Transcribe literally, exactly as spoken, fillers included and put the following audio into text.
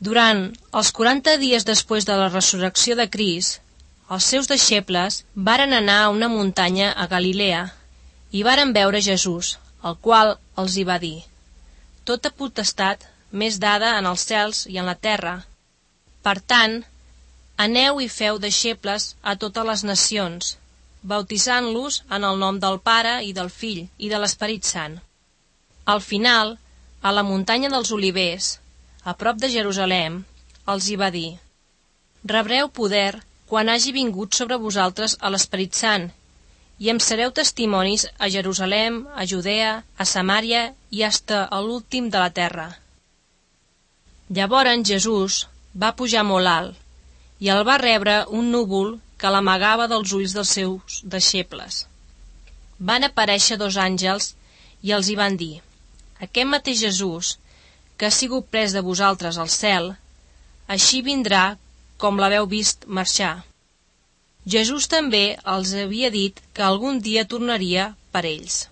Durant els quaranta dies després de la resurrecció de Crist, els seus deixebles varen anar a una muntanya a Galilea i varen veure Jesús, el qual els hi va dir: «Tota potestat m'és dada en els cels i en la terra. Per tant, aneu i feu deixebles a totes les nacions, bautitzant-los en el nom del Pare i del Fill i de l'Esperit Sant». Al final, a la muntanya dels Olivers, a prop de Jerusalem, els hi va dir: «Rebreu poder quan hagi vingut sobre vosaltres a l'Esperit Sant, i em sereu testimonis a Jerusalem, a Judea, a Samària i hasta a l'últim de la terra». Llavors Jesús va pujar molt alt, i el va rebre un núvol que l'amagava dels ulls dels seus deixebles. Van aparèixer dos àngels i els hi van dir: «Aquest mateix Jesús, que ha sigut pres de vosaltres al cel, així vindrà com l'haveu vist marxar». Jesús també els havia dit que algun dia tornaria per ells.